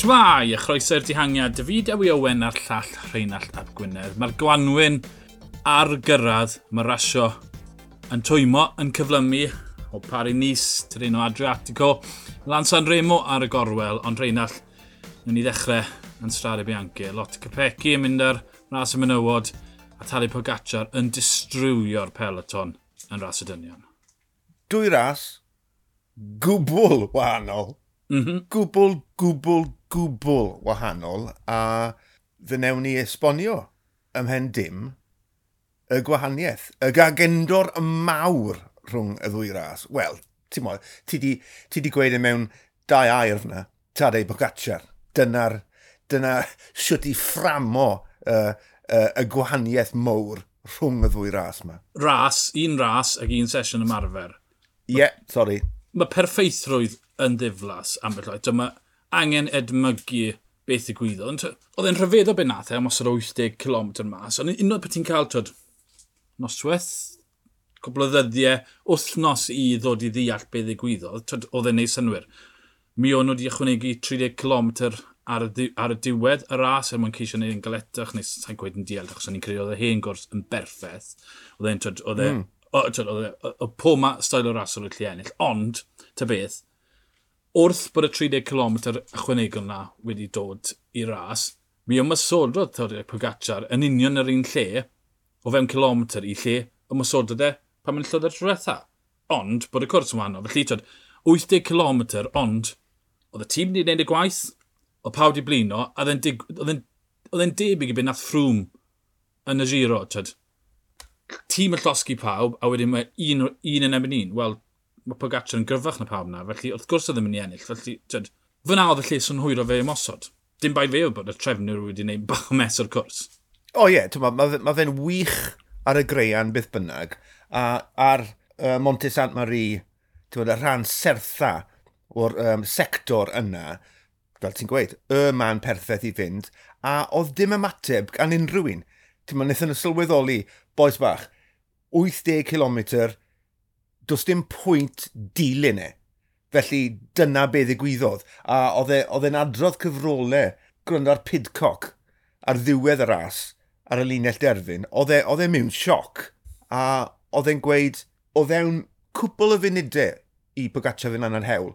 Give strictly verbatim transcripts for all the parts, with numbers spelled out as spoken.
Shwmae, a chroeso i'r dihangiad. David Ewi Owen a'r llall Rheinallt ap Gwynedd. Mae'r gwanwyn ar gyrraedd, mae rasio yn twymo, yn cyflymu o Paris-Nice, Tirreno Adriatico, Milan San Remo ar y gorwel, ond Rheinallt, wnawn ni ddechrau yn Strade Bianche. Lotte Kopecky yn mynd ar ras y menywod a Tadej Pogacar yn distrywio'r peloton yn ras y dynion. Dwy ras gwbl wahanol. Mm -hmm. Gwbl, gwbl, gwbl wahanol, a fe newn ni esbonio ymhen dim y gwahaniaeth, y gagendor mawr rhwng y ddwy ras. Wel, ti'n mo, ti di, ti di gweud e mewn dau air fyna, Tadej Pogacar. Dyna'r, dyna siwt i fframo uh, uh, y gwahaniaeth mawr rhwng y ddwy ras yma. Ras, un ras ac un sesiwn ymarfer. Ie, yeah, sorry. Mae perffeithrwydd yn ddiflas ambell waith. Mae angen edmygu beth ddigwyddodd. Ond oedd e'n rhyfeddol beth nath e am osod wyth deg kilometr mas. Ond unwaith bod ti'n cael, twyd, noswaith, cwpl o ddyddiau, wythnos i ddod i ddeall beth ddigwyddodd, twyd, oedd e'n neud synnwyr. Mi o'n nhw wedi ychwanegu tri deg kilometr ar y, ar y diwedd y ras er mwyn ceisio neud yn galetach, neu sa'n gweud yn diallt, achos o'n i'n credu oedd y hen gwrs yn berffaith. Oedd e'n, twyd, oedd e, mm. oedd e, oedd pob ma stael o ras oedd gallu ennill. Ond, ta beth, wrth bod y tri deg kilometr ychwanegol na wedi dod i ras, mi ymosododd Tadej Pogacar yn union yr un lle, o fewn kilometr i lle ymosododd e pan mae'n llwyddo tro diwetha. Ond bod y cwrs yn wahanol. Felly, twyd, wyth deg kilometr, ond oedd y tîm wedi gwneud y gwaith, oedd pawb wedi blino, a oedd e'n debyg i beth nath Froome yn y Giro. Twyd, tîm yn llosgi pawb, a wedyn mae un, un yn erbyn un. Wel, mae Pogacar yn gryfach na pawb na, felly wrth gwrs oedd ddim yn mynd i ennill. Felly, twyd, fyna oedd y lle synhwyro fe ymosod. Dim bai fe oedd bod y trefnwyr wedi gwneud bach o mess o'r cwrs. O ie, yeah, mae ma fe'n wych ar y greian beth bynnag, a ar uh, Monte Saint Marie, y rhan sertha o'r um, sector yna, fel ti'n gweud, y man perffaith i fynd, a oedd dim ymateb gan unrhyw un. Ti'n ma, wnaethon nhw sylweddoli, bois bach, wyth deg kilometr, does dim pwynt dilyn e. Felly dyna be ddigwyddodd. A oedd e'n adrodd cyfrolau gwrando ar Pidcock ar ddiwedd y ras, ar y linell derfyn, oedd e, oedd e mewn sioc. A oedd e'n gweud, o fewn cwpl o funudau i Pogacar fynd lan yr hewl,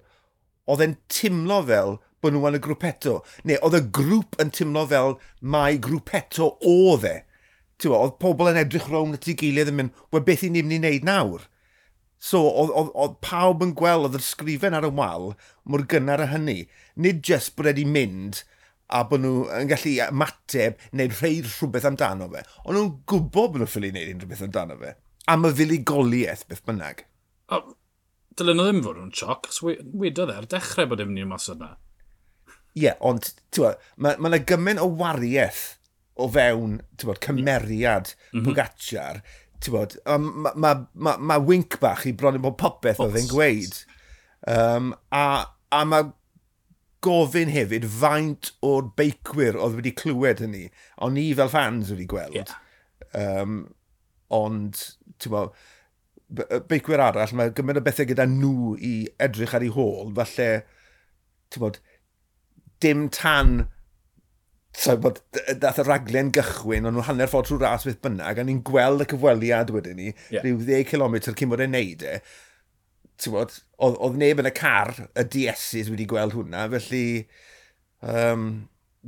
oedd e'n timlo fel bod nhw yn y grwpetto. Neu oedd y grŵp yn timlo fel mai grwpetto oedd e. Ti'n oedd pobl yn edrych rownd at ei gilydd yn mynd, wel beth i ni'n mynd i wneud nawr? So, oedd, oedd, oedd pawb yn gweld, oedd yr sgrifen ar y wal mor gynnar a hynny. Nid jyst bod wedi mynd a bod nhw yn gallu ymateb neu rhoi rhywbeth amdano fe. Ond nhw'n gwybod bod nhw'n ffili wneud unrhyw beth amdano fe. Am y fuddugoliaeth, beth bynnag. O, dylen nhw ddim fod yn sioc, achos wedodd e ar dechrau bod e'n mynd i ymosod na. Ie, yeah, ond mae ma yna gymaint o wariaeth o fewn bod, cymeriad mm -hmm. Pogacar. Mae ma, ma, ma wink bach i bron i bod popeth oedd e'n gweud. Um, a, a mae gofyn hefyd faint o'r beicwyr oedd wedi clywed hynny. Ond ni fel fans wedi gweld. Yeah. Um, ond, ti'n bod, beicwyr arall, mae gymaint o bethau gyda nhw i edrych ar ei hôl, falle, ti'n bod, dim tan so, bod, dath y raglen gychwyn, ond nhw hanner ffordd trwy ras beth bynnag, a ni'n gweld y cyfweliad wedyn ni, yeah. rhyw ddeg kilometr cyn bod e'n neud e. Ti'n bod, oedd, oedd neb yn y car, y D S's wedi gweld hwnna, felly um,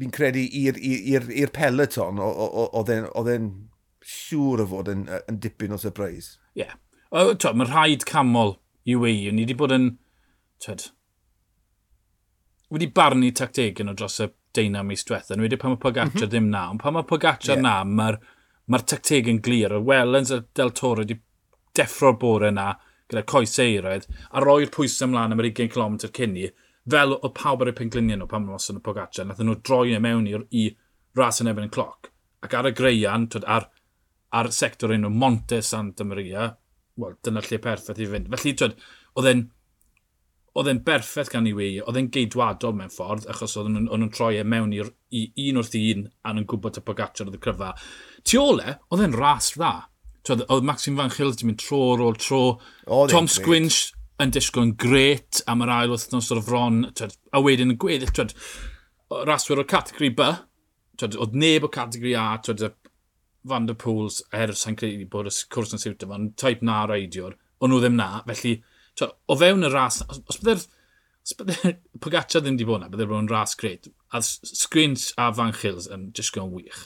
fi'n credu i'r peloton, oedd e'n siŵr o fod yn, yn dipyn o surprise. Ie. Yeah. Mae rhaid camol U A E. Ni wedi bod yn, twed, wedi barnu tactegau nhw dros y deunaw mis diwetha. Nhw wedi pan mae Pogacar mm -hmm. ddim na, ond pan mae Pogacar yeah. na, mae'r ma tactegau'n glir. Y Wellens a Del Toro wedi deffro'r bore na gyda coes eiraidd a roi'r pwysau ymlaen am yr ugain kilometr cyn ni, fel oedd pawb ar eu pengliniau nhw pan maen nhw'n y Pogacar. Nathon nhw droi e mewn i'r, i ras yn erbyn y cloc. Ac ar y greian, twyd, ar, ar sector enw Monte Santa Maria, wel, dyna lle perffaith i fynd. Felly, twyd, oedd e'n oedd e'n berffaith gan U A E, oedd e'n geidwadol mewn ffordd, achos oedden nhw'n, nhw'n troi e mewn i'r, i un wrth un, a nhw'n gwybod y Pogacar oedd y cryfa. Tu ôl e, oedd e'n ras dda. Twyd, oedd Maxime Van Gils wedi mynd tro ar ôl tro. Tom Squinch yn disgwyl yn gret am yr ail wythnos o'r fron, twyd, a wedyn yn gweddill, twyd, Raswyr o'r categori B, twyd, oedd neb o categori A, twyd, Van der Poels, er sa'n credu bod y cwrs yn siwtio fo, type na reidiwr, o'n nhw ddim na, felly twyd, o fewn y ras, os, os bydde'r os bydde Pogacar ddim wedi bod na, bydde bod yn ras grêt. A Squinch a Van Gils yn disgwyl yn wych.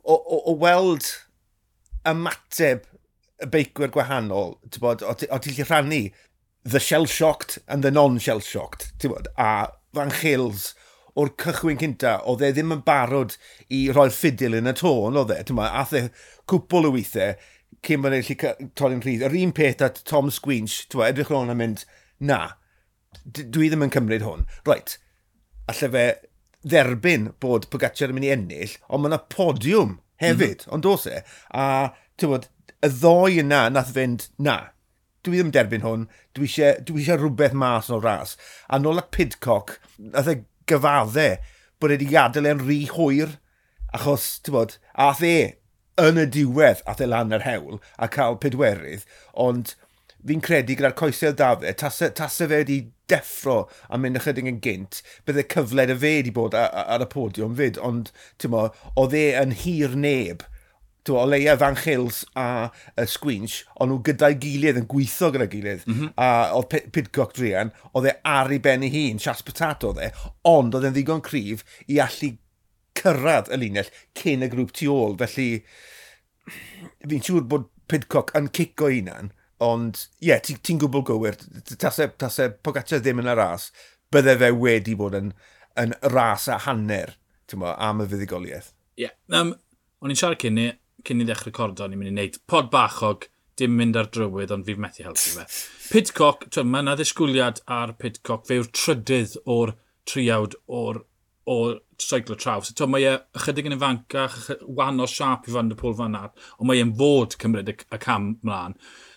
O, o, o weld ymateb y beicwyr gwahanol, ti'n bod, o ti'n gallu rhannu the shell-shocked and the non-shell-shocked, ti'n bod, a Van Gils o'r cychwyn cynta, oedd e ddim yn barod i roi'r ffidil yn y tôn, oedd e, ti'n bod, ath e cwpl o weithiau cyn bod e'n gallu torri'n rhydd. Yr un peth at Tom Squinch, ti'n bod, edrych rownd a mynd, na, dwi ddim yn cymryd hwn. Right, alle fe dderbyn bod Pogacar yn mynd i ennill, ond mae yna podiwm hefyd, mm -hmm. ond dos e. A, ti'n bod, y ddoi yna nath fynd, na, dwi ddim derbyn hwn, dwi eisiau, dwi eisiau rhywbeth mas o'r ras. A nôl at Pidcock, nath e gyfadde bod e wedi gadael e'n rhy hwyr, achos, ti'n bod, ath e yn y diwedd, ath e lan yr hewl a cael pedwerydd, ond fi'n credu gyda'r coesau da fe, tase, tase fe wedi deffro a mynd ychydig yn gynt, bydde cyfle 'da fe wedi bod ar, ar y podiwm fyd, ond ti'n mo, oedd e yn hir neb. Ti'n mo, o leia Van Gils a y Squinch, o'n nhw gyda'i gilydd yn gweithio gyda'i gilydd. Mm -hmm. A oedd Pidcock druan, oedd e ar ei ben ei hun, chasse patate oedd e, ond oedd e'n ddigon cryf i allu cyrraedd y linell cyn y grŵp tu ôl. Felly, fi'n siŵr bod Pidcock yn cico hunan, ond ie, yeah, ti'n ti gwbl gywir. Tase, tase Pogacar ddim yn y ras, bydde fe wedi bod yn, yn ras a hanner, ti'n mo, am y fuddugoliaeth. Ie. Yeah. Um, o'n i'n siarad cyn ni, cyn i ddechrau recordo, o'n i'n mynd i wneud pod bachog, dim mynd ar drywydd, ond fi'n methu helpu fe. Pidcock, twyd, mae yna ddisgwyliad ar Pidcock, fe yw'r trydydd o'r triawd o'r o seiclo traws. So, mae e ychydig yn ifancach, wahanol siâp i Van der Poel fan 'na, ond mae e'n fod cymryd y, y cam mlaen.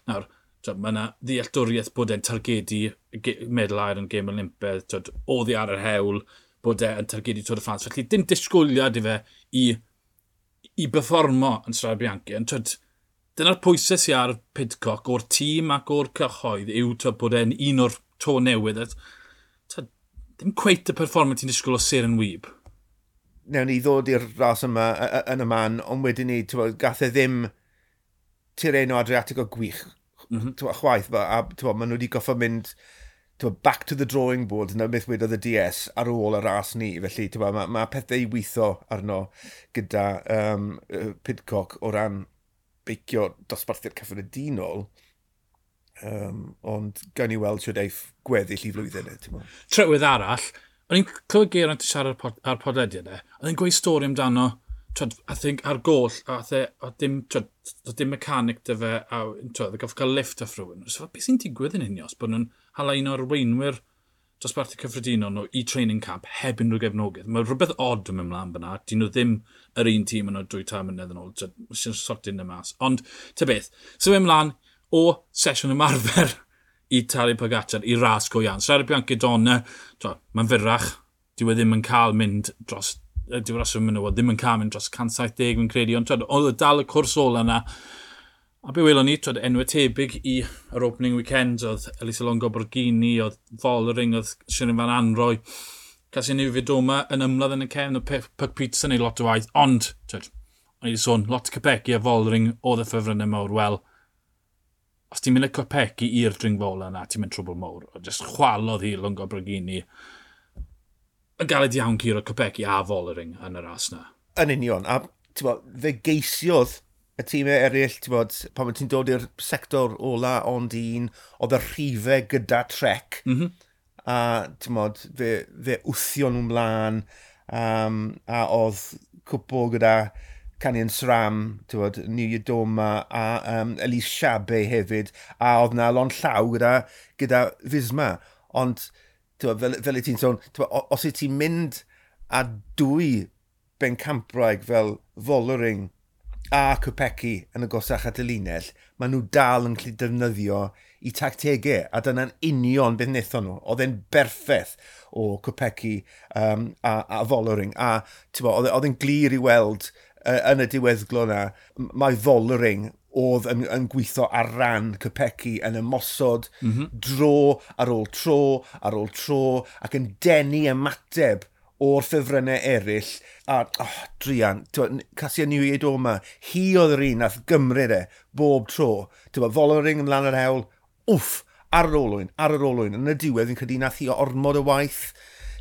Nawr, twyd, mae yna ddealltwriaeth bod e'n targedu medal aur yn Gêm Olympaidd, twyd, oddi ar yr hewl, bod e'n targedu Tour de France. Felly dim disgwyliad i fe i, i berfformo yn Strade Bianche. Ond twyd, dyna'r pwysau sydd ar Pidcock o'r tîm ac o'r cyhoedd yw twyd, bod e'n un o'r to newydd. Twyd, dim cweit y perfformiad ti'n disgwyl o seren wib. Newn ni ddod i'r ras yma yn y man, ond wedyn ni, twyd, gath e ddim Tirreno Adriatico gwych mm -hmm. Twyd, chwaith, a, a twyd, maen nhw wedi goffo mynd twyd, back to the drawing board, na beth wedodd y D S ar ôl y ras ni. Felly twyd, mae ma pethau i weithio arno gyda um, Pidcock o ran beicio dosbarthiad cyffredinol. Um, ond gawn ni weld shwt eiff gweddill i flwyddyn. E, Trywydd arall, o'n i'n clywed Geraint yn siarad ar, pod, ar podlediad e, oedd e'n gweud stori amdano, twyd, I think ar goll, a e, a dim, twyd, oedd dim mechanic 'da fe, a twyd, oedd goffo cael lift off rhywun. So, beth sy'n digwydd yn Ineos, bod nhw'n hala un o'r arweinwyr dosbarthu cyffredinol nhw i training camp heb unrhyw gefnogaeth. Mae rhywbeth odd yn mynd mlaen fyna. Dyn nhw ddim yr un tîm yn o'r dwy tair mlynedd yn ôl. Sy'n sortio yna mas. Ond, ta beth, symud ymlaen o sesiwn ymarfer i Tadej Pogacar i ras go iawn. Strade Bianche Donne, mae'n fyrrach, dyw e ddim yn cael mynd dros, dyw ras yn menywod ddim yn cael mynd dros cant saith deg fi'n credu, ond twyd, oedd e dal y cwrs ola yna. A be welon ni, twyd, enwau tebyg i yr opening weekend, oedd Elisa Longo Borghini, oedd Vollering, oedd Shirin Van Anrooij, Kasia Niewiadoma yn ymladd yn y cefn, oedd Puck Pieterse yn ei lot o waith, ond, twyd, o'n i wedi sôn, lot Kopecky a Vollering oedd y ffefrynnau mawr, wel, os ti'n mynd â Kopecky i'r dringfa ola yna, ti'n mynd trwbl mawr. O, just chwalodd hi Longo Borghini. Yn galed iawn curo Kopecky a Vollering yn y ras na. Yn union, a ti'n bod, fe geisiodd y tîmau eraill, ti'n bod, pan ti'n dod i'r sector ola ond un, oedd y rhifau gyda Trek, mm -hmm. a ti'n bod, fe, fe wthio nhw mlaen, um, a oedd cwpl gyda Canyon SRAM, ti'n bod, Niewiadoma a um, Elise Chabbey hefyd, a oedd na lond llaw gyda, gyda Visma. Ond, ti'n bod, fel, fel i ti'n sôn, ti'n bod, os wyt ti'n mynd â dwy bencampwraig fel Vollering a Kopecky yn agosach at y linell, maen nhw dal yn gallu defnyddio i tactegau, a dyna'n union beth wnaethon nhw. Oedd e'n berffaith o Kopecky um, a, a Vollering, a ti'n bod, oedd e'n glir i weld uh, yn y diweddglo na, mae Vollering oedd yn, yn gweithio ar ran Kopecky yn ymosod mm -hmm. dro ar ôl tro, ar ôl tro, ac yn denu ymateb o'r ffefrynnau eraill. A, oh, druan, Kasia Niewiadoma, hi oedd yr un nath gymryd e bob tro. Ti'n Vollering ymlaen yr hewl, wff, ar yr olwyn, ar yr olwyn. Yn y diwedd, fi'n credu nath hi ormod o waith.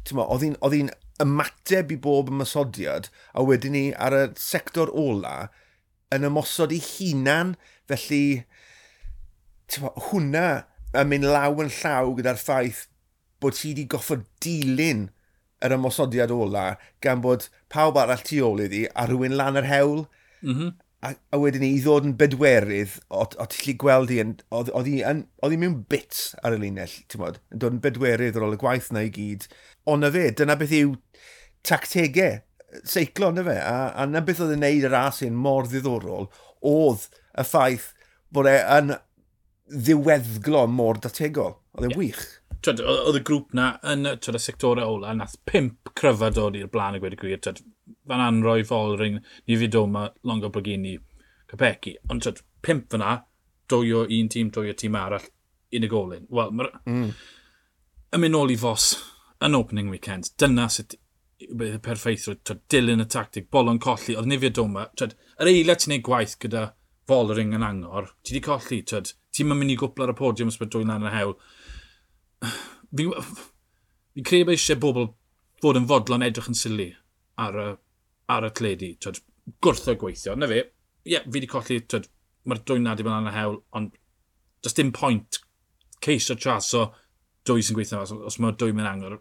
Ti'n oedd hi'n, oedd hi'n ymateb i bob ymosodiad, a wedyn ni ar y sector ola yn ymosod i hunan, felly ti'n hwnna yn mynd law yn llaw gyda'r ffaith bod hi wedi goffod dilyn yr ymosodiad ola gan bod pawb arall tu ôl iddi a rhywun lan yr hewl. Mm -hmm. A, a wedyn ni i ddod yn bedwerydd, o, o ti'n gallu gweld hi, oedd hi, oedd hi mewn bits ar y linell, ti'n bod, yn dod yn bedwerydd ar ôl y gwaith na i gyd. Ond na fe, dyna beth yw tactegau seiclo, na fe, a, a na beth oedd yn neud y ras hyn mor ddiddorol, oedd y ffaith bod e yn ddiweddglo mor dategol. Oedd e'n yeah. wych. Twyd, oedd y grŵp na yn twyd, y sectorau ola, nath pump cryfa dod i'r blaen a gweud y gwir. Twyd, Van Anrooij, Vollering, Niewiadoma, Longo Borghini, Kopecky. Ond twyd, pump fyna, dwy o un tîm, dwy o tîm arall, unigolyn. Wel, mae'r... Mm. Yn mynd nôl i Vos yn opening weekend, dyna sut y perffeithrwydd, twyd, dilyn y tactig, bolon colli, oedd Niewiadoma, twyd, yr eiliad ti'n neud gwaith gyda Vollering yn angor, ti di colli, twyd, ti'n mynd i gwpl ar y podiwm os bod dwy lan y hewl. Fi, fi credu bod eisiau bobl fod yn fodlon edrych yn sili ar y, ar y teledu, twyd, gwrtho gweithio. Na fe, ie, yeah, fi di colli, twyd, mae'r dwy na di bod lan y hewl, ond does dim pwynt ceisio traso dwy sy'n gweithio os, os mae dwy mewn angor.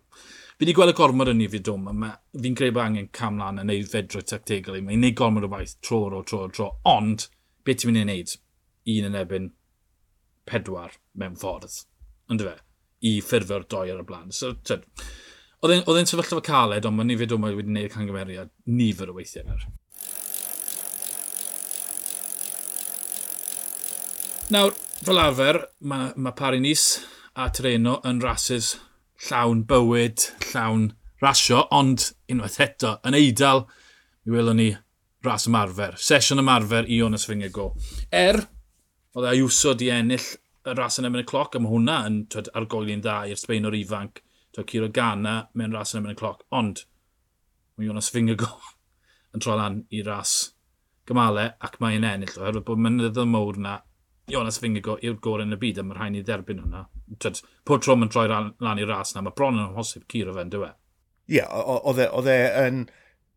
Fi wedi gweld y gormod yn Niewiadoma, fi'n credu bod angen cam lan yn neud fedrwy tactegol. Mae'n neud gormod o waith tro ar ôl tro ar tro, ond beth ti'n mynd i wneud? Un yn erbyn pedwar mewn ffordd, yndyfe, i ffurfio'r doi ar y blaen. So, tyd, oedd e'n sefyllfa caled, ond mae Niewiadoma wedi gwneud camgymeriad nifer o weithiau nawr. Nawr, fel arfer, mae, mae Paris-Nice a Tirreno yn rasys llawn bywyd, llawn rasio, ond unwaith eto, yn Eidal, mi welwn ni ras ymarfer. Sesiwn ymarfer i Jonas Vingegaard. Er, oedd Ayuso di ennill y ras yn erbyn y cloc, a mae hwnna yn twed, argoeli'n dda i'r Sbaenwr ifanc, twed, Ciro Gana mewn ras yn erbyn y cloc, ond mae Jonas Vingegaard yn troi lan i ras gymalau ac mae'n ennill, oherwydd bod mynyddoedd mawr na Jonas Vingegaard yw'r gorau yn y byd, a mae rhaid ni dderbyn hwnna. Twed, pob tro mae'n troi lan i'r ras na, mae bron yn amhosib curo fe, yndyw e? Ie, oedd e yn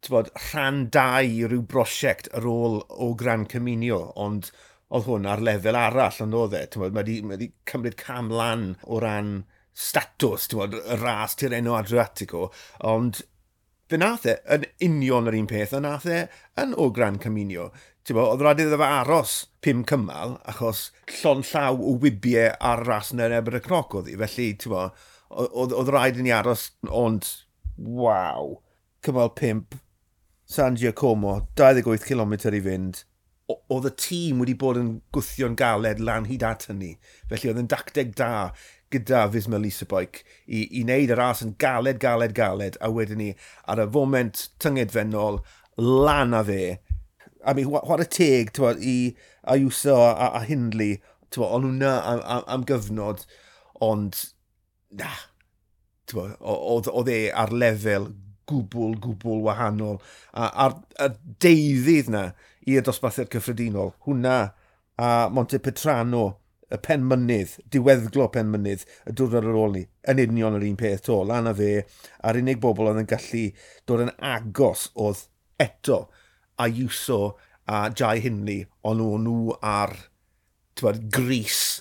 bod, rhan dau i ryw brosiect ar ôl o Gran Camino, ond oedd hwn ar lefel arall, ond oedd e. Bod, mae wedi, mae wedi cymryd cam lan o ran statws, bod, y ras Tirreno Adriatico, ond fe nath e yn union yr un peth, a nath e yn o Gran Camino. Bo, oedd rhaid iddo fe aros pum cymal, achos llon llaw o wybiau ar ras yn erbyn y cloc oedd hi. Felly, bo, oedd, oedd rhaid i ni aros, ond waw, cymal pump, San Giacomo, dau ddeg wyth kilometr i fynd. Oedd y tîm wedi bod yn gwthio'n galed lan hyd at hynny. Felly oedd yn dacteg da gyda Visma Lease a Bike i, i wneud y ras yn galed, galed, galed, a wedyn ni ar y foment tyngedfennol lan â fe. I mean, chwarae teg t'wod, i Ayuso a, a, a Hindley, t'wod, o'n nhw na am, am, am gyfnod, ond na, t'wod, oedd, oedd e ar lefel gwbl, gwbl wahanol. A, a'r, a deuddydd na i'r dosbarthiad cyffredinol, hwnna a Monte Petrano, y penmynydd, diweddglo penmynydd, y diwrnod ar ôl ni, yn union yr un peth to, lan a fe, a'r unig bobl oedd yn gallu dod yn agos oedd eto Ayuso a Jai Hindley, ond o'n nhw ar t'wod, gris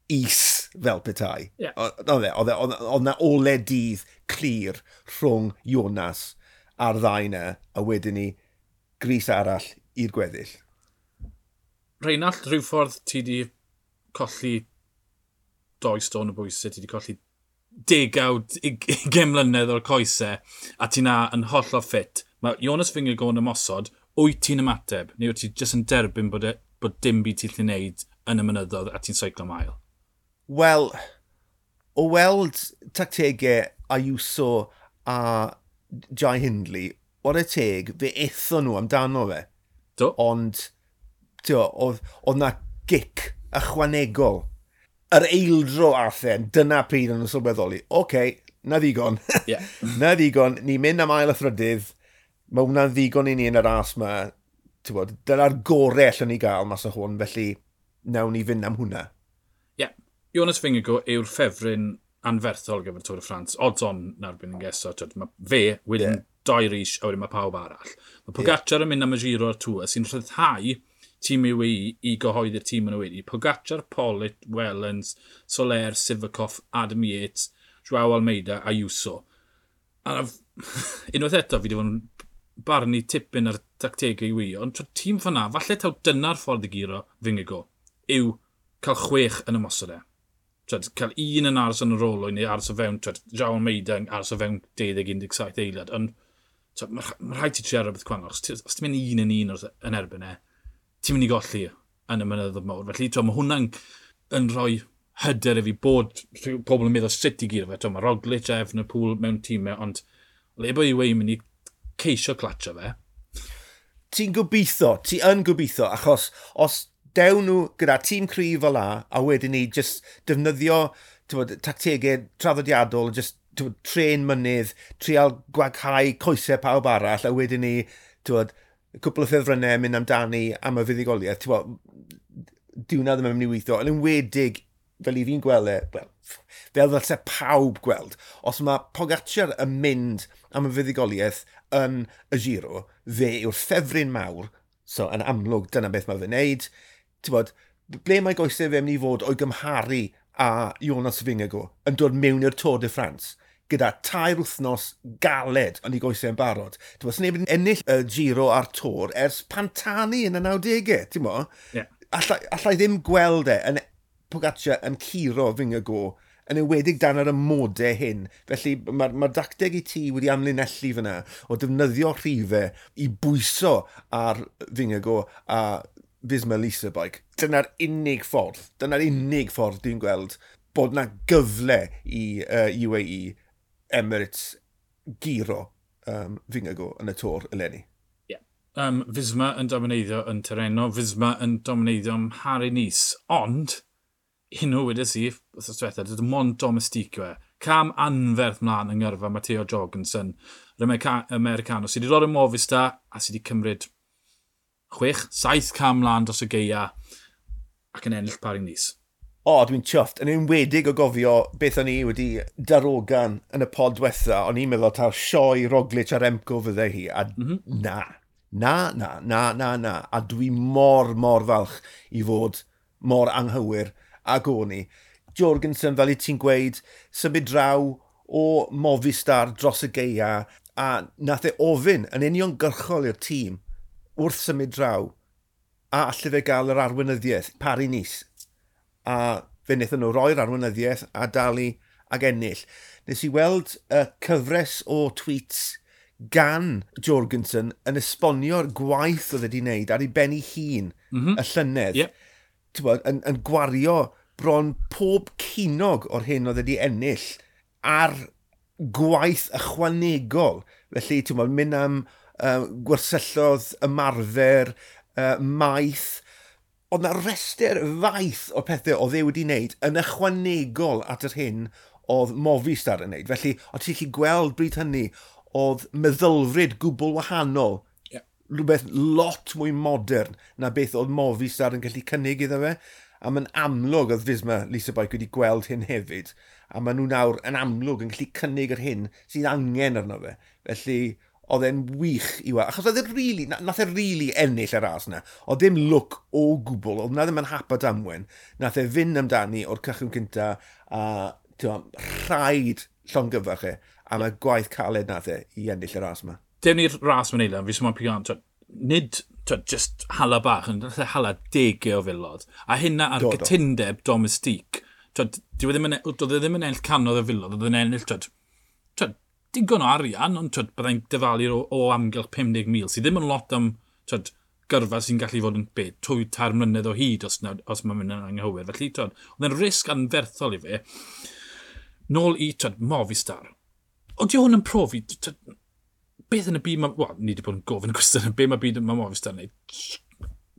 is fel petai. Yeah. Oedd e, oedd na ole dydd clir rhwng Jonas a'r ddau na, a wedyn ni gris arall i'r gweddill. Rheinald, rhyw ffordd ti di colli doi stôn o bwysau, ti di colli degawd, ugain mlynedd o'r coesau, a ti na yn hollol ffit. Mae Jonas Vingegaard yn ymosod, wyt ti'n ymateb, neu wyt ti jyst yn derbyn bod, e, bod dim byd ti'n gallu neud yn y mynyddoedd a ti'n seiclo mael? Wel, o weld tactegau Ayuso a Jai Hindley, whare teg, fe ethon nhw amdano fe. Do. Ond, tio, oedd, oedd na gic ychwanegol. Yr eildro athen, dyna pryd o'n nhw'n sylweddoli. Oce, okay, na ddigon. Yeah. Na ddigon, ni'n mynd am ail a thrydydd, mae hwnna'n ddigon i ni yn y ras yma. Bod, dyna'r gorau allwn ni gael mas o hwn, felly nawn ni fynd am hwnna. Ie. Yeah. Jonas Vingegaard yw'r ffefryn anferthol gyfer Tour de France. Odds on na'r byn yn geso. Mae fe wedyn yeah. doi ris, a wedyn mae pawb arall. Mae Pogacar yeah. yn mynd am y Giro a'r Tour sy'n rhyddhau tîm U A E i gyhoeddi'r tîm yn y wedi. Pogacar, Pollitt, Wellens, Soler, Sivakov, Adam Yates, Joao Almeida a Ayuso. A unwaith eto, fi wedi bod yn barnu tipyn ar tactegau U A E, ond tîm fanna, falle taw dyna'r ffordd i guro Vingegaard, yw cael chwech yn ymosod e. Twed, cael un yn aros yn yr olwyn neu aros o fewn, twed, Joao Almeida yn aros o fewn deuddeg un deg saith eiliad, ond mae ma rhaid ti trio rhywbeth gwahanol. Os ti'n mynd un yn un yn erbyn e, ti'n mynd i golli yn y mynyddoedd mawr. Felly, twed, mae hwnna'n yn rhoi hyder i fi bod pobl yn meddwl sut i guro fe. Twed, mae Roglic a Evenepoel mewn tîmau, ond le bod U A E mynd i ceisio clatio fe. Ti'n gobeithio, ti yn gobeithio, achos os dew nhw gyda tîm cryf fel la, a wedyn ni just defnyddio bod, tactegau traddodiadol, just bod, tren mynydd, trial gwaghau coesau pawb arall, a wedyn ni bod, cwpl o ffefrynnau mynd amdani am y fuddugoliaeth. Dyw hwnna ddim yn mynd i weithio, yn enwedig, fel i fi'n gweld e, wel, fel ddylse pawb gweld, os mae Pogacar yn mynd am y fuddugoliaeth yn y Giro, fe yw'r ffefryn mawr, so yn amlwg dyna beth mae fe'n neud. Ti'n bod, ble mae goesau fe mynd i fod o'i gymharu a Jonas Vingegaard yn dod mewn i'r Tour de France gyda tair wythnos galed yn ei goesau yn barod. Ti'n bod, sneb yn ennill y Giro a'r Tour ers Pantani yn y nawdegau, ti'n bo? Yeah. Allai, allai ddim gweld e yn Pogacar yn curo Vingegaard yn enwedig dan yr amodau hyn. Felly mae'r ma dacteg i ti wedi amlinellu fyna o defnyddio rhifau i bwyso ar Vingegaard a Visma Lease a Bike. Dyna'r unig ffordd, dyna'r unig ffordd dwi'n gweld bod na gyfle i uh, U A E Emirates guro um, Vingegaard yn y Tour eleni. Yeah. Um, Visma yn domineiddio yn Tirreno, Visma yn domineiddio ym Mharis-Nice, ond hyn o wedes i, wrth diwetha, dim ond domestique yw e. Cam anferth mlaen yng ngyrfa Matteo Jorgensen, yr Americano, sydd wedi dod yn Movistar a sydd wedi cymryd chwech, saith cam mlaen dros y gaea ac yn ennill Paris-Nice. O, dwi'n chuffed. Yn enwedig o gofio beth o'n i wedi darogan yn y pod diwetha, o'n i'n meddwl taw sioe Roglic a Remco fydde hi, a mm -hmm. na, na, na, na, na, na. A dwi mor, mor falch i fod mor anghywir ag o'n i. Jorgensen, fel i ti'n gweud, symud draw o Movistar dros y gaea, a nath e ofyn yn uniongyrchol i'r tîm wrth symud draw, a alle fe gael yr arweinyddiaeth, Paris-Nice. A fe wnaethon nhw roi'r arweinyddiaeth a dalu ag ennill. Nes i weld y cyfres o tweets gan Jorgensen yn esbonio'r gwaith oedd wedi wneud ar ei ben ei hun mm -hmm. y llynedd. Yep. Bod, yn, yn gwario bron pob ceiniog o'r hyn oedd wedi ennill ar gwaith ychwanegol. Felly, ti'n bod, mynd am uh, gwersyllodd, ymarfer, uh, maeth. Oedd na restr faith o pethau oedd e wedi wneud yn ychwanegol at yr hyn oedd Movistar yn wneud. Felly, o ti'n gallu gweld bryd hynny, oedd meddylfryd gwbl wahanol. Yeah. Rhywbeth lot mwy modern na beth oedd Movistar yn gallu cynnig iddo fe. A mae'n amlwg oedd Visma Lease a Bike wedi gweld hyn hefyd. A maen nhw nawr yn amlwg yn gallu cynnig yr hyn sydd angen arno fe. Felly, oedd e'n wych i weld. Achos oedd e really, nath e really ennill y ras yna. Oedd ddim lwc o gwbl, oedd na ddim yn hap a damwen. Nath e fynd amdani o'r cychwyn cynta a ti'n, rhaid llongyfarch e am y gwaith caled nath e i ennill y ras yma. Dewn ni'r ras mewn eiliad, fi sy'n mwyn pigo, nid twed, just hala bach, ond nath e hala degau o filodd. A hynna ar Do, do. gytundeb domestique. Twed, dyw e ddim yn, doedd e ddim yn ennill cannoedd o filodd, oedd e'n ennill twed, twed, digon o arian, ond twed, byddai'n dyfalu o, o amgylch pum deg mil, sydd ddim yn lot am twed, gyrfa sy'n gallu fod yn be, dwy tair mlynedd o hyd os, na, os mae'n mynd yn anghywir. Felly, twed, oedd e'n risg anferthol i fe. Nôl i twed, Movistar. Ond di hwn yn profi, twed, beth yn y byd, ma, wel, ni wedi bod yn gofyn y cwestiwn, be mae byd mae Movistar yn neud.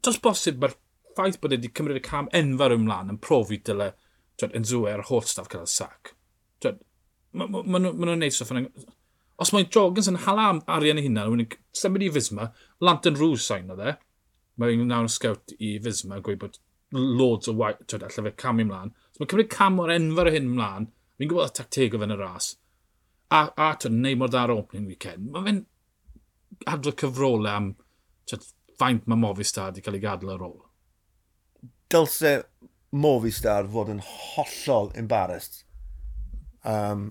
Does bosib mae'r ffaith bod e wedi cymryd y cam enfawr ymlaen yn profi dyle twed, Unzué a'r holl staff cael y sac. Twed, ma, ma, ma, nhw'n ma nhw neud stwff yn... Os mae Jorgensen hala arian ei hunan, wedi'n symud i Visma, Lantern Rouge sain o dde. Mae'n nawr scout i Visma, gweud bod loads o waith, twyd, allai fe camu ymlaen. So mae'n cymryd cam o'r enfawr o hyn ymlaen. Fi'n gwybod y tacteg o fe'n y ras. A, a twyd, neud mor dda'r opening weekend. Mae fe'n adrodd cyfrolau am twyd, faint mae Movistar wedi cael ei gadael ar ôl. Dylse Movistar fod yn hollol embarrassed. Um,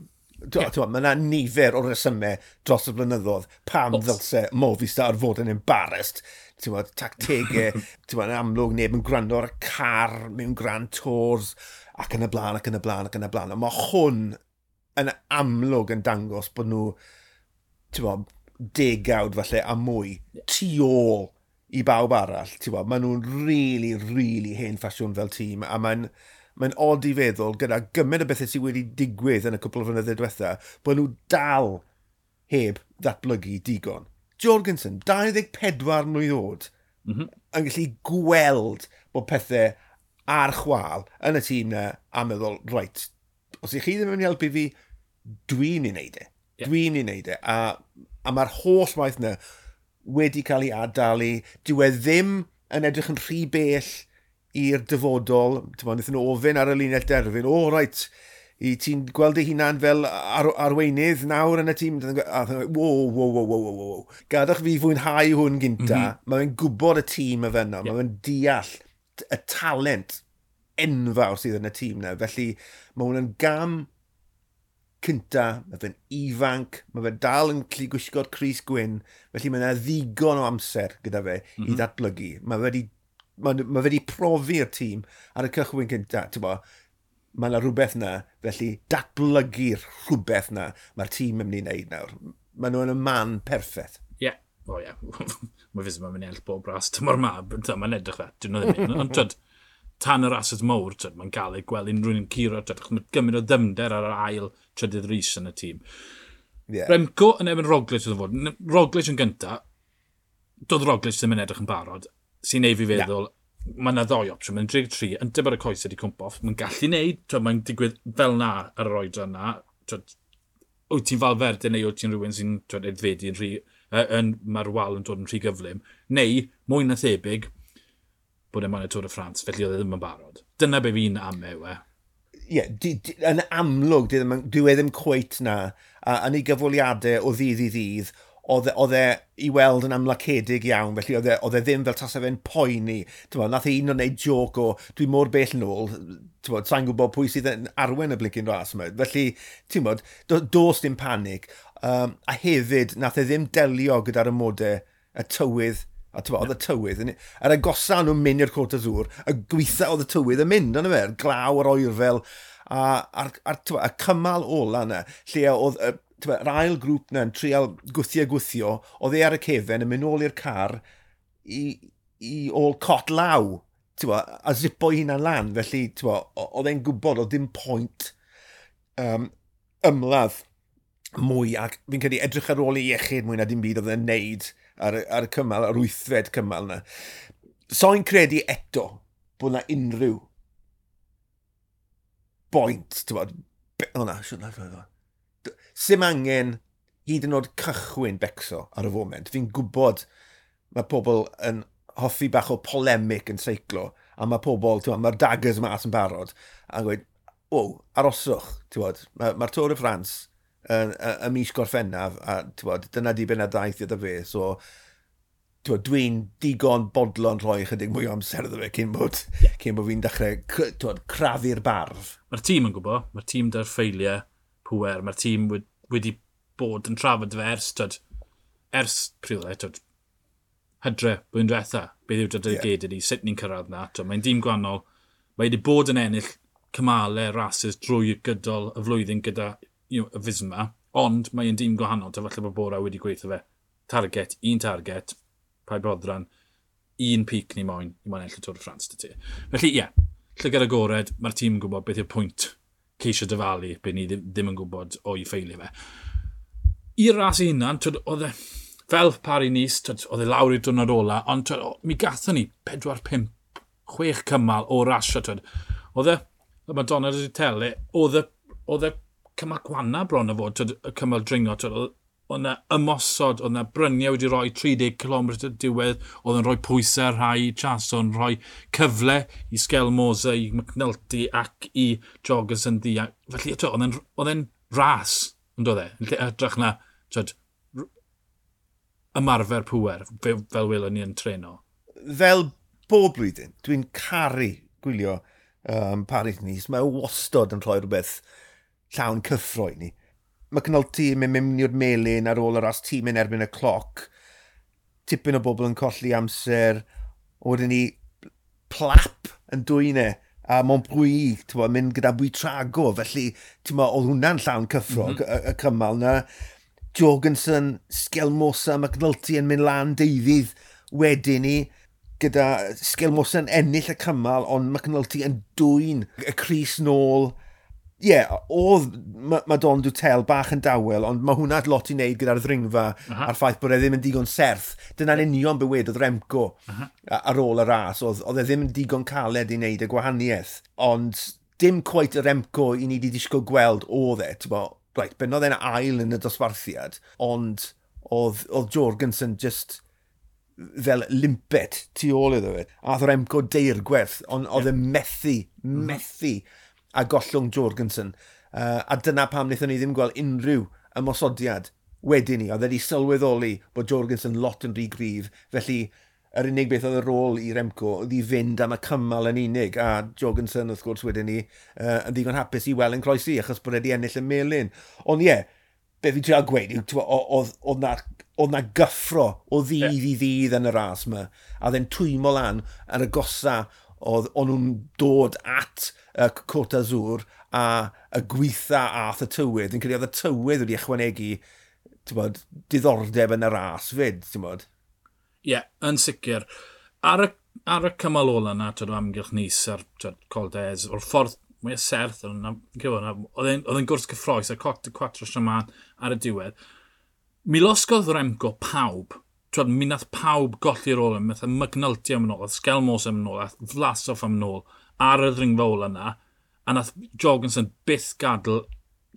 yeah. Mae yna nifer o resymau dros y blynyddoedd pam Os. ddylse Movistar fod yn embarrassed. Ti'n tactegau, ti'n yn amlwg neb yn gwrando ar y car mewn Grand Tours ac yn y blaen, ac yn y blaen, ac yn y blaen. Ond mae hwn yn amlwg yn dangos bod nhw, ti'n bod, degawd falle a mwy tu ôl i bawb arall. Ti'n bod, maen nhw'n really, really hen ffasiwn fel tîm, a mae'n mae'n od i feddwl gyda gymaint o bethau sydd wedi digwydd yn y cwpl o flynyddoedd diwetha, bod nhw dal heb ddatblygu digon. Jorgensen, dau ddeg pedwar mlwydd oed, mm -hmm. yn gallu gweld bod pethau ar chwal yn y tîm na a meddwl, right, os ych chi ddim yn mynd i helpu fi, dwi'n ei wneud e. Yeah. Dwi'n ei wneud e. A, a mae'r holl waith na wedi cael ei adalu. Dyw e ddim yn edrych yn rhy bell i'r dyfodol. Ti'n bod, wnaethon nhw ofyn ar y linell derfyn, o, oh, reit, i ti'n gweld dy hunan fel ar, arweinydd nawr yn y tîm? A wo, wo, wo, wo, wo, wo. Gadwch fi fwynhau hwn gynta. Mm -hmm. Mae fe'n gwybod y tîm y fe yna. Yeah. Mae fe'n deall y talent enfawr sydd yn y tîm na. Felly mae hwn yn gam cynta, mae fe'n ifanc, mae fe dal yn gallu gwisgo'r crys gwyn, felly mae yna ddigon o amser gyda fe mm -hmm. i ddatblygu. Mae fe wedi, mae, mae fe wedi profi'r tîm ar y cychwyn cynta, ti'n bo, mae yna rhywbeth na, felly datblygu'r rhywbeth na mae'r tîm yn mynd i wneud nawr. Mae nhw yn y man perffaith. Ie, yeah. O ie. Yeah. Mae Visma yn mynd i ennill bob ras tymor ma, mae'n edrych fe, dyn nhw ddim. Ond twyd, tan y rasys mowr, twyd, mae'n gael ei gweld unrhyw un yn curo, twyd, achos mae gymaint o ddyfnder ar yr ail trydydd ris yn y tîm. Yeah. Remco yn erbyn Roglic oedd fod. Roglic yn gynta, doedd Roglic ddim yn edrych yn barod, sy'n neud fi feddwl, yeah. mae yna ddoi opsiwn, mae'n dri tri, yn dibod y coes wedi cwmpo off, mae'n gallu neud, twyd, mae'n digwydd fel na ar yr oedran na, twyd, wyt ti'n Valverde neu wyt ti'n rhywun sy'n twyd, aeddfedu yn rhy, yn, mae'r wal yn dod yn rhy gyflym, neu, mwy na thebyg, bod e'n moyn y Tour de France, felly oedd e ddim yn barod. Dyna be fi'n ame yw e. Ie, yeah, yn amlwg, dyw e ddim cweit na, a yn ei gyfweliadau o ddydd i ddydd, oedd e i weld yn amlacedig iawn, felly oedd e, oedd e ddim fel tasa fe'n poeni. T'mo, nath e un o'n neud joc o, dwi mor bell nôl, t'mo, sa'n gwybod pwy sydd yn arwen y blincyn ras yma. Felly, ti'n bod, do, dos dim panig. Um, a hefyd, nath e ddim delio gyda'r amodau, y tywydd, a t'mo, oedd y tywydd, yr agosa nhw'n mynd i'r Côte d'Azur, y gweitha oedd y tywydd yn mynd, ond fe, glaw, yr oerfel, a, a'r, a'r, t'mo, y cymal ola yna, lle oedd y, t'mo, yr ail grŵp yna yn trial gwthio gwthio, oedd e ar y cefen yn mynd nôl i'r car i, i ôl cot law, t'mo, a zipo ei hunan lan, felly t'mo, oedd e'n gwybod oedd dim pwynt um, ymladd mwy, ac fi'n credu edrych ar ôl ei iechyd mwy na dim byd oedd e'n neud ar, ar y cymal, ar wythfed cymal yna. So'n credu eto bod na unrhyw boint, ti'n bod, o na, siwr na, siwr na. Sim angen hyd yn oed cychwyn becso ar y foment. Fi'n gwybod mae pobl yn hoffi bach o polemic yn seiclo, a mae pobl, ti'n bod, mae'r daggers mas yn barod, a gweud, o, aroswch, ti'n bod, mae'r ma Tour de France yn y mis Gorffennaf, a ti'n bod, dyna diben y daith iddo fe, so ti'n bod, dwi'n digon bodlon rhoi chydig mwy o amser iddo fe cyn bod, yeah. cyn bod fi'n dechrau ti'n bod, crafu'r barf. Mae'r tîm yn gwybod, mae'r tîm da'r ffeiliau pwer, mae'r tîm wedi bod yn trafod fe ers, twyd, ers pryd e, twyd, hydre, blwyddyn diwetha, beth yw'r dedicated yeah. i, sut ni'n cyrraedd na. Mae'n dîm gwahanol, mae wedi bod yn ennill cymalau rases drwy gydol y flwyddyn gyda you know, y Visma, ond mae'n dîm gwahanol, ta falle bod Bora wedi gweithio fe. Target, un target, paid boddran, un peak ni moyn, ni moyn ennill y Tour de France dy ti. Felly, ie, yeah, llygad agored, mae'r tîm yn gwybod beth yw'r pwynt ceisio dyfalu, beth ni ddim, ddim yn gwybod o'i ffeiliau fe. I'r ras ei hunan, twyd, oedd e, fel Paris-Nice, twyd, oedd e lawr i'r diwrnod ola, ond twyd, mi gathon ni pedwar, pump, chwech cymal o rasio. Twyd. Oedd e, y Madonna di Tele, oedd e, oedd e cymal gwanna bron o fod, twyd, y cymal dringo, twyd, oedd yna ymosod, oedd yna bryniau wedi rhoi tri deg cilometr diwedd, oedd yn rhoi pwysau ar rhai Chason, rhoi cyfle i Skjelmose, i McNulty ac i Jorgensen ddi. Felly, twyd, oedd e'n, oedd e'n ras, yn doedd e? Yn lle hytrach na, twyd, ymarfer pŵer, fel, fel welon ni yn treno. Fel bob blwyddyn, dwi'n caru gwylio um, Paris-Nice. Mae wastod yn rhoi rhywbeth llawn cyffro i ni. McNulty yn mynd mewn i'r melyn ar ôl y ras tîm yn erbyn y cloc. Tipyn o bobl yn colli amser. Wedyn ni plap yn dwyn e a Montbrouilly, ti'n mynd gyda Buitrago. Felly, ti'n oedd hwnna'n llawn cyffro, mm -hmm. y, y cymal na. Jorgensen, Skjelmose, McNulty yn mynd lan deuddydd wedyn ni, gyda Skjelmose yn ennill y cymal, ond McNulty yn dwyn y crys nôl. Ie, yeah, oedd Madon Dutel bach yn dawel, ond mae hwnna lot i wneud gyda'r ddringfa uh -huh. a'r ffaith bod e ddim yn digon serth. Dyna'n union be wedodd Remco uh -huh. ar ôl y ras. Oedd, oedd e ddim yn digon caled i wneud y gwahaniaeth. Ond dim quite y Remco i ni wedi disgwyl gweld oedd e. Bo, right, bennodd e'n ail yn y dosbarthiad, ond oedd, oedd Jorgensen just fel limpet tu ôl iddo fe. A oedd Remco deirgwerth, ond oedd e methu, methu a gollwng Jorgensen. Uh, a dyna pam wnaethon ni ddim gweld unrhyw ymosodiad wedyn ni. Oedd e wedi sylweddoli bod Jorgensen lot yn rhy gryf, felly yr unig beth oedd y rôl i Remco oedd i fynd am y cymal yn unig, a Jorgensen wrth gwrs wedyn ni uh, yn ddigon hapus i weld yn croesi achos bod wedi ennill y melyn. Ond ie, yeah, be fi'n trial gweud yw, oedd, oedd na, oedd na gyffro o ddydd yeah. i ddydd yn y ras yma, a oedd e'n twymo lan ar y gosa oedd o'n nhw'n dod at y uh, Côte d'Azur a y gweitha ath y tywydd. Fi'n credu oedd y tywydd wedi ychwanegu, ti'n bod, diddordeb yn y ras fyd, ti'n bod. Ie, yeah, yn sicr. Ar y, ar y cymal ola yna, twyd, o amgylch Nice a'r Col d'Èze, o'r ffordd mwy o serth, oedd e'n gwrs cyffroes a Côte de Quatre Chemins ar y diwedd. Mi losgodd Remco pawb. Twyd, mi nath pawb golli'r ôl, mi nath McNulty am yn ôl, Skjelmose am yn ôl, a Vlasov am yn ôl ar y ddringfa ola yna, a nath Jorgensen byth gadael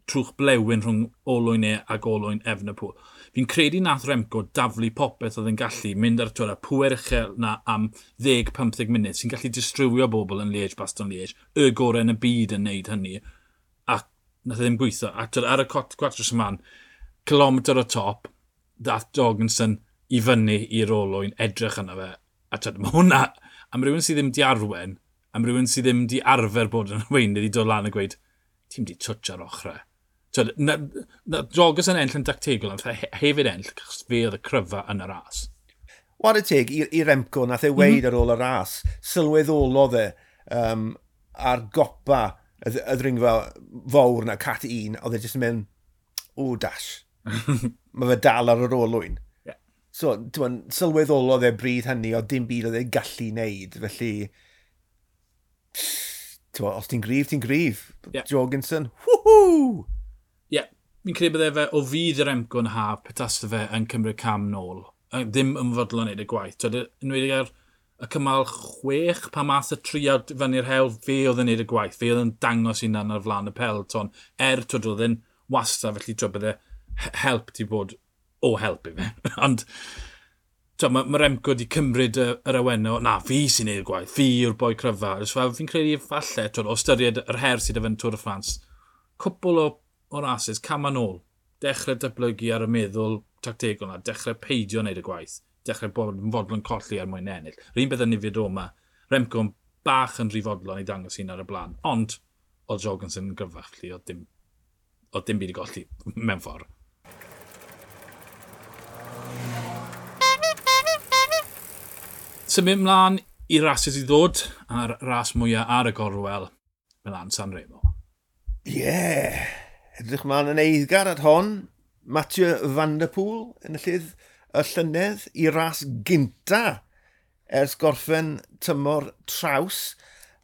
trwch blewyn rhwng olwyn e ac olwyn Evenepoel. Fi'n credu nath Remco daflu popeth oedd yn gallu mynd ar twyd, y pŵer uchel na am ddeg pymtheg munud sy'n gallu distrywio bobl yn Liège, Bastogne Liège, y gorau yn y byd yn neud hynny, a nath e ddim gweithio. A twyd, ar y Quatre Chemins, kilometr o top, dath Jorgensen i fyny i'r olwyn, edrych yna fe. A twyd, mae hwnna, am rhywun sydd ddim di arwen, am rhywun sydd ddim di arfer bod yn arweinydd i dod lan a gweud, ti'n di twtsh ar ochrau. Twyd, na, na Jorgensen enll yn dactegol, ond hefyd enll, achos fe oedd y cryfa yn y ras. Whare teg i, i Remco, nath e weud mm -hmm. ar ôl y ras, sylweddolodd e um, ar gopa y, y ddringfa fawr na cat un, oedd e jyst yn mynd, o dash, mae fe dal ar yr olwyn. Yeah. So, ti'n sylweddolodd e bryd hynny, oedd dim byd oedd e'n gallu neud, felly, ti'n os ti'n gryf, ti'n gryf. Yeah. Jorgensen, woohoo! Ie, yeah, fi'n credu bydde fe o fydd yr Remco yn haf petase fe yn cymryd cam nôl. Ddim yn fodlon neud y gwaith. Twyd, enwedig ar y cymal chwech, pan math y triawd fyny'r hewl, fe oedd yn neud y gwaith. Fe oedd yn dangos hunan ar flaen y peloton. Er, twyd, oedd yn wastad, felly twyd, bydde help ti bod o help i fe. Ond twyd, mae ma Remco wedi cymryd y, yr awenau, na, fi sy'n neud y gwaith, fi yw'r boi cryfa. Fel, fi'n credu falle, twyd, o ystyried yr her sydd efo yn Tour de France, cwpl o o rases, cam yn ôl, dechrau datblygu ar y meddwl tactegol na, dechrau peidio wneud y gwaith, dechrau bod yn fodlon colli er mwyn ennill. Yr un beth yn Nifid Roma, Remco yn bach yn rhy fodlon i dangos hun ar y blaen, ond oedd Jorgensen yn gryfach, felly oedd dim, oedd dim byd i golli mewn ffordd. Symud ymlaen i rases i ddod, a'r ras mwyaf ar y gorwel, Milan Sanremo. Ie! Yeah. Edrych mlaen yn eiddgar at hon, Mathieu van der Poel yn y llydd y llynedd i ras gynta ers gorffen tymor traws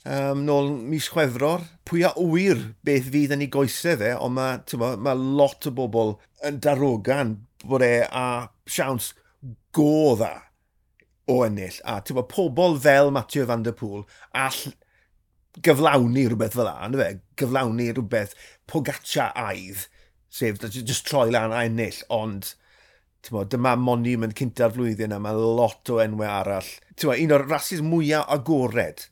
um, nôl mis Chwefror. Pwy a ŵyr beth fydd yn ei goesau fe, ond mae, ma lot o bobl yn darogan bod e a siawns go dda o ennill. A bo, pobl fel Mathieu van der Poel all gyflawni rhywbeth fel 'na, fe? Gyflawni rhywbeth Pogacar-aidd, sef just troi lan a ennill, ond mo, dyma monument cynta'r flwyddyn a mae lot o enwau arall. Mo, un o'r rasis mwyaf agored,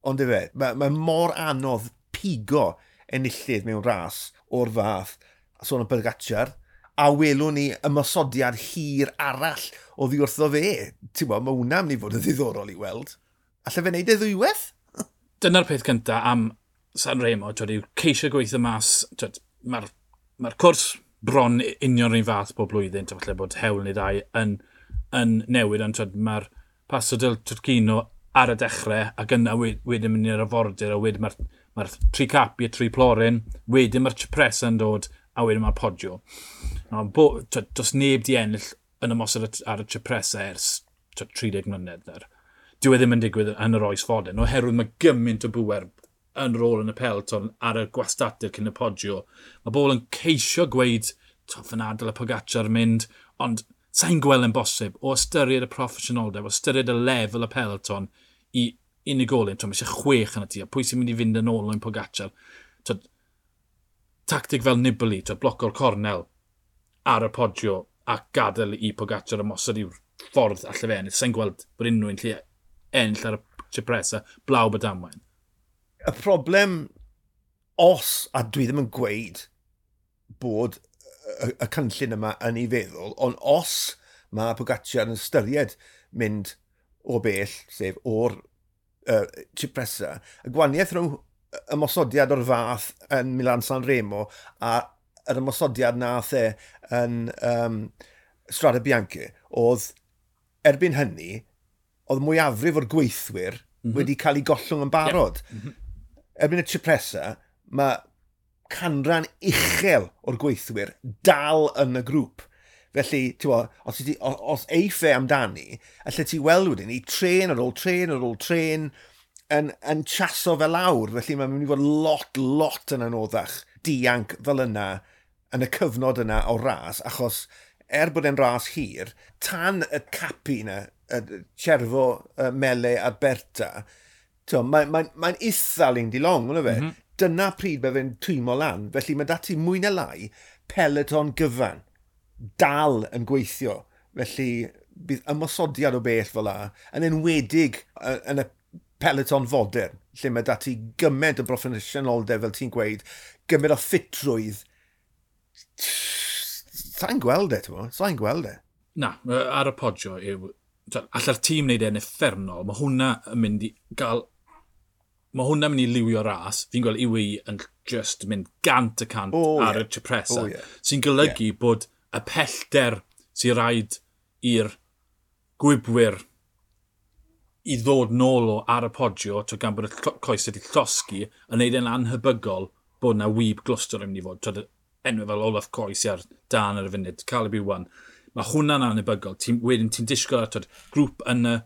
ond efe, mae, mae mor anodd pigo enillydd mewn ras o'r fath, sôn am Pogacar, a welwn ni ymosodiad hir arall o ddi wrtho fe. Ti'n bo, mae hwnna'n mynd i fod yn ddiddorol i weld. Alle fe wneud e ddwywaith? Dyna'r peth cyntaf am San Remo, twyd, yw ceisio gweithio mas, mae'r ma cwrs bron union rhan fath bob blwyddyn, twyd, falle bod hewl neu ddau yn, yn newid, ond mae'r Passo del Turchino ar y dechrau, ac yna wedyn mynd i'r afordir, a wedyn mae'r ma tri capi a tri plorin, wedyn mae'r Cipressa yn dod, a wedyn mae'r Poggio. No, bo, twyd, does neb di ennill yn ymosod ar y Cipressa ers twyd, tri deg mlynedd. Der. Dyw e ddim yn digwydd yn yr oes fodern, oherwydd mae gymaint o bwer yn rôl yn y peloton ar y gwastatir cyn y Poggio. Mae bobl yn ceisio gweud, fyna dyle Pogacar mynd, ond sa'n gweld yn bosib o ystyried y proffesiynoldeb, o ystyried y lefel y peloton i unigolyn. Twyd, mae eisiau chwech yn y tŷ, a pwy sy'n mynd i fynd yn ôl yn Pogacar? Twyd, tactig fel Nibali, twyd, bloco'r cornel ar y Poggio a gadael i Pogacar ymosod i'w ffordd alle fe ennill. Sa'n gweld bod unrhyw un lle ennill ar y Cipressa, blaw bod damwain. Y problem, os, a dwi ddim yn gweud bod y, y cynllun yma yn ei feddwl, ond os mae Pogacar yn ystyried mynd o bell, sef o'r uh, Cipressa, y gwahaniaeth rhwng ymosodiad o'r fath yn Milan San Remo a yr ymosodiad nath e yn um, Strada Bianche, oedd erbyn hynny, oedd mwyafrif o'r gweithwyr mm -hmm. wedi cael ei gollwng yn barod. Yeah. Mm -hmm. Erbyn y Cipressa, mae canran uchel o'r gweithwyr dal yn y grŵp. Felly, bo, os, ti, os eiff e amdani, allai ti weld wedyn ni tren ar ôl tren ar ôl tren yn, yn chaso fel lawr. Felly mae'n mynd i fod lot, lot yn anoddach dianc fel yna yn y cyfnod yna o ras, achos er bod e'n ras hir, tan y capi yna, y Cervo, y Mele a'r Berta, mae'n mae, mae eitha lind i long, fe? Mm -hmm. Dyna pryd mae fe'n twymo lan. Felly mae dati mwy na lai peloton gyfan dal yn gweithio. Felly bydd ymosodiad o bell fel la, yn enwedig yn y peloton fodern, lle mae dati gymaint o broffesiynoldeb, fel ti'n gweud, gymaint o ffitrwydd. Sa'n gweld e, ti'n Sa'n gweld e. Na, ar y Poggio yw... Alla'r tîm wneud e'n uffernol, mae hwnna yn mynd i gael... Mae hwnna'n mynd i liwio ras. Fi'n gweld U A E yn just mynd gant y cant oh, ar yeah. y Cipressa. Oh, yeah. Sy'n golygu yeah. bod y pellter sy'n rhaid i'r gwybwyr i ddod nôl o ar y Poggio, to gan bod y coes wedi llosgi, yn neud e'n anhebygol bod na wyb glwstwr yn mynd i fod. Twyd, enw fel Olaf Coes ar dan ar y funud, Caleb Ewan. Mae hwnna'n anhebygol. Ti, wedyn ti'n disgwyl ar twyd, grŵp yn y,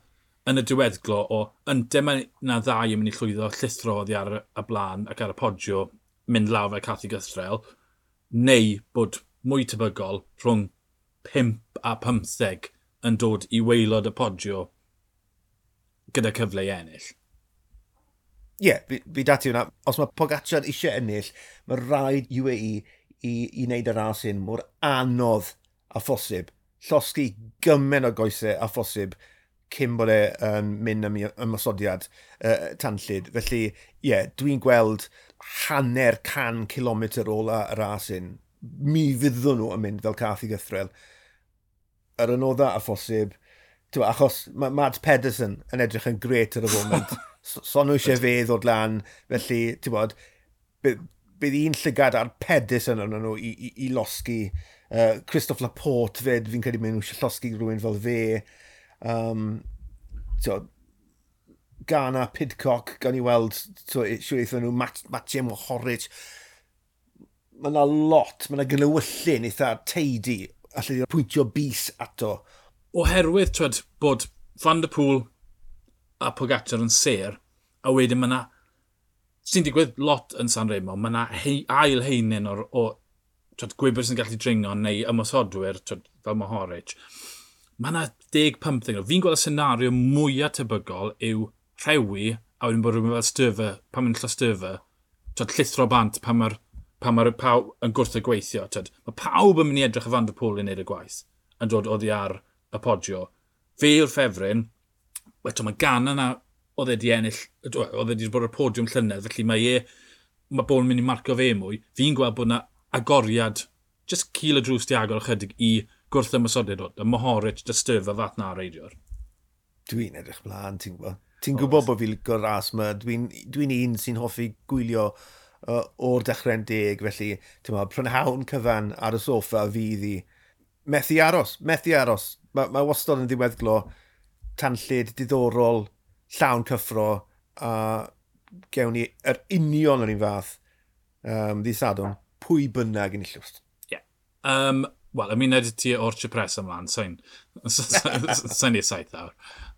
yn y diweddglo o ynte mae na ddau yn mynd i llwyddo llithro oddi ar y blaen ac ar y Poggio mynd lawr fel Cathy Gythrel, neu bod mwy tebygol rhwng pump a pymtheg yn dod i waelod y Poggio gyda cyfle i ennill. Ie, yeah, fi, fi dati hwnna. Os mae Pogacar eisiau ennill, mae rhaid U A E i, i wneud y ras hyn mor anodd a phosib. Llosgi gymaint o goesau a phosib cyn bod e yn mynd am ymosodiad uh, tanllyd. Felly, ie, yeah, dwi'n gweld hanner can kilometr ola y ras hyn. Mi fyddwn nhw yn mynd fel cath i gythrel. Yr anodda a phosib. T'wa, achos mae Mads Pedersen yn edrych yn gret ar y foment. So nhw eisiau fe ddod lan, felly, ti'n bod, bydd un llygad ar Pedersen arnyn nhw i, i, i losgi. Uh, Christophe Laporte fyd, fi'n credu maen nhw eisiau llosgi rhywun fel fe. Um, t'wod, Ghana, Pidcock, gawn ni weld, siwr eithon nhw, Mat, Matej Mohoric. Mae yna lot, mae yna glywyllun eitha teidi, allai pwyntio bys ato. Oherwydd, twed, bod Van der Poel a Pogacar yn ser, a wedyn mae yna, sy'n digwydd lot yn San Remo, mae yna hei, ail heinen o'r, o twed, gwybwyr sy'n gallu dringo neu ymosodwyr, twed, fel Mohoric. Mae yna deg pymtheg. Fi'n gweld y senario mwyaf tebygol yw rhewi a wedyn bod rhywun fel Styfa, pan mae'n Styfa, twyd, llithro bant pan mae'r pan mae'r pawb yn gwrth y gweithio. Twyd, mae pawb yn mynd i edrych y Van der Poel i wneud y gwaith yn dod oddi ar y podio. Fe yw'r ffefryn, eto mae Ganna yna oedd e di ennill, oedd e wedi bod ar y podiwm llynedd, felly mae e, mae bobl yn mynd i marco fe mwy. Fi'n gweld bod yna agoriad, just cil y drws di agor ychydig i gwrth ymosodiad o, y Mohoric, dy Styfa fath na reidiwr. Dwi'n edrych mlaen, ti'n gwybod. Ti'n gwybod bod fi'n licio'r ras yma. Dwi'n dwi un sy'n hoffi gwylio uh, o'r dechrau'n deg, felly ti'n gwybod, prynhawn cyfan ar y soffa fydd i. Methu aros, methu aros. Mae ma wastad yn ddiweddglo tanllyd, diddorol, llawn cyffro, a gewn ni yr union yr un fath um, ddydd Sadwrn, pwy bynnag yn illwst. Ie. Yeah. Um, Wel, ymuned ti o'r Cipressa ymlaen, sa'n sain i'r saith awr.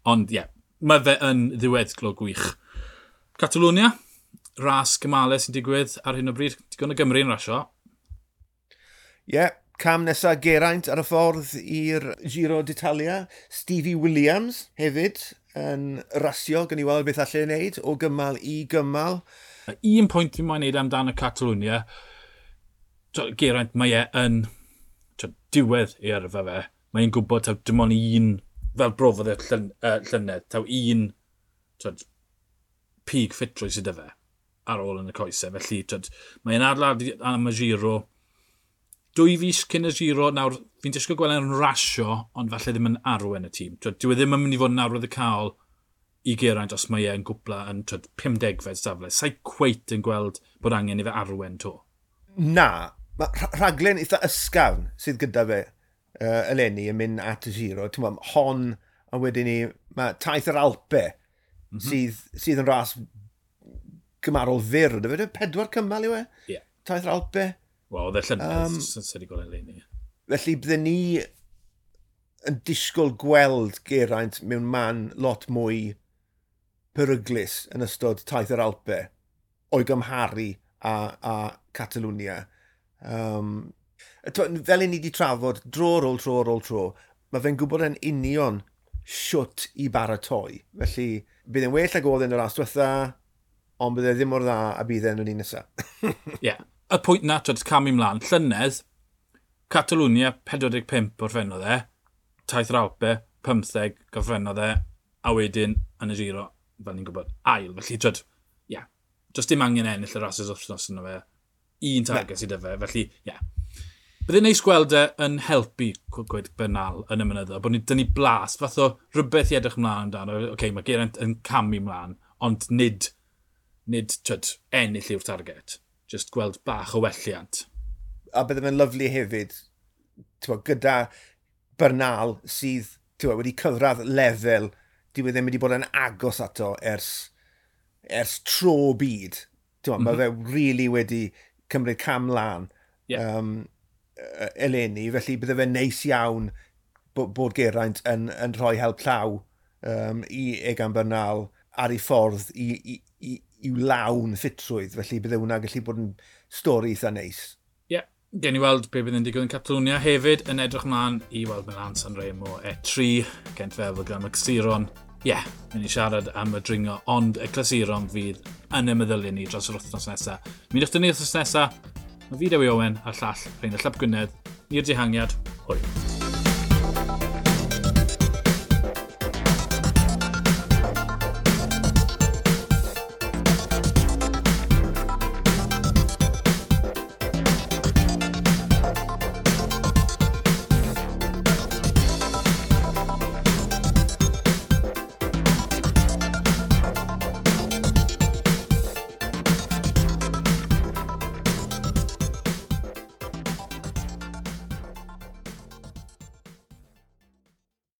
Ond ie, yeah, mae fe yn ddiweddglo gwych. Catalonia, ras gymalau sy'n digwydd ar hyn o bryd. Digon o Gymru yn rasio. Ie, yeah, cam nesaf Geraint ar y ffordd i'r Giro d'Italia. Stevie Williams hefyd yn rasio, gan i weld beth allai ei wneud o gymal i gymal. Un pwynt fi'n moyn wneud amdano Catalonia, Geraint, mae e yn diwedd ei yrfa fe. Mae'n gwybod taw dim ond un, fel brofodd e llyn, uh, llynedd, taw un twyd, pig ffitrwydd sydd 'da fe ar ôl yn y coesau. Felly twyd, mae'n adeiladu am y Giro. Dwy fis cyn y Giro, nawr fi'n disgwyl gweld e'n rasio, ond falle ddim yn arwen y tîm. Twyd, dyw e ddim yn mynd i fod yn arwyddocaol i Geraint os mae e'n gwpla yn twyd, pumdegfed safle. Sa'i cweit yn gweld bod angen i fe arwen to. Na, mae rhaglen eitha ysgafn sydd gyda fe uh, eleni yn mynd at y Giro. Ti'n gwybod, hon a wedyn ni, mae taith yr Alpe mm -hmm. sydd, sydd yn ras gymarol fyr. Ydy fe? Pedwar cymal yw e? Yeah. Taith yr Alpe. Wel, oedd e llynedd, um, sydd wedi gweld eleni. Felly, bydden ni yn disgwyl gweld Geraint mewn man lot mwy peryglus yn ystod taith yr Alpe o'i gymharu a, a Catalonia. Um, fel i ni wedi trafod dro ar ôl tro ar ôl tro, mae fe'n gwybod yn union siwt i baratoi. Felly, bydd e'n well ag oedd yn y ras diwetha, ond bydd e ddim mor dda a bydd e'n yr un nesaf. Ie. Yeah. Y pwynt na, twyd, camu mlaen. Llynedd, Catalonia, pedwar deg pump orffennodd e, taith yr Alpe, pymtheg gorffennodd e, a wedyn yn y Giro, fel ni'n gwybod, ail. Felly, twyd, ie, yeah, does dim angen ennill y rasys wythnos yna fe. Un target sydd 'da fe, felly, ie. Yeah. Byddai'n neis gweld e yn helpu gweud Bernal yn y mynyddoedd, bod ni, dyn ni blas, fath o rhywbeth i edrych ymlaen amdano. Oce, okay, mae Geraint yn camu ymlaen, ond nid, nid twyd, ennill yw'r target. Just gweld bach o welliant. A bydde fe'n lyfli hefyd, t'wod, gyda Bernal sydd t'wod, wedi cyrraedd lefel dyw e ddim wedi bod yn agos ato ers, ers tro byd. T'wod, mm -hmm. Mae fe really wedi cymryd cam lan yeah. um, eleni, felly bydde fe'n neis iawn bod, bod Geraint yn, yn rhoi help llaw um, i Egan Bernal ar ei ffordd i, i, i, i'w lawn ffitrwydd, felly bydde hwnna gallu bod yn stori eitha neis. Ie, yeah. Gen i weld be bydd yn digwydd yn Catalonia hefyd, yn edrych mlaen i weld Milan Sanremo E tri, Gent Wevelgem gyda Clasuron. Ie, yeah, mynd i siarad am y dringo, ond y clasuron fydd yn y meddyliau ni dros yr wythnos nesaf. Mynd o'ch ni wythnos nesaf, mae fi Dewi Owen a'r llall Rheinallt Ap Gwynedd, i'r dihangiad, hwyl.